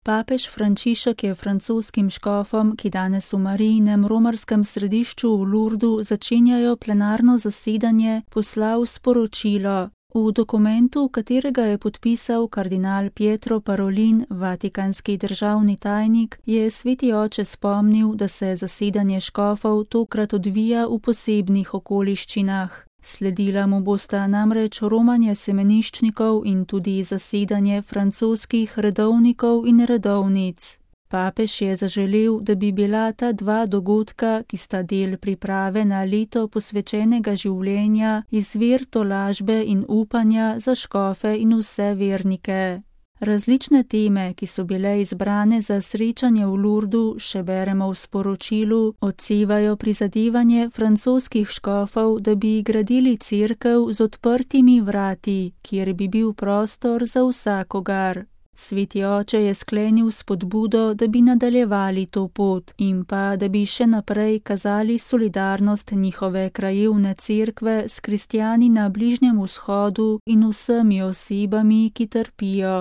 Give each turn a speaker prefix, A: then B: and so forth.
A: Papež Frančišek je francoskim škofom, ki danes v Marijinem romarskem središču v Lourdu začenjajo plenarno zasedanje, poslal sporočilo. V dokumentu, katerega je podpisal kardinal Pietro Parolin, vatikanski državni tajnik, je sveti oče spomnil, da se zasedanje škofov tokrat odvija v posebnih okoliščinah. Sledila mu bosta namreč romanje semeniščnikov in tudi zasedanje francoskih redovnikov in redovnic. Papež je zaželel, da bi bila ta dva dogodka, ki sta del priprave na leto posvečenega življenja, izvir tolažbe in upanja za škofe in vse vernike. Različne teme, ki so bile izbrane za srečanje v Lourdu, še beremo v sporočilu, odsevajo prizadevanje francoskih škofov, da bi gradili cerkev z odprtimi vrati, kjer bi bil prostor za vsakogar. Sveti oče je sklenil spodbudo, da bi nadaljevali to pot in pa, da bi še naprej kazali solidarnost njihove krajevne cerkve s kristjani na Bližnjem vzhodu in vsemi osebami, ki trpijo.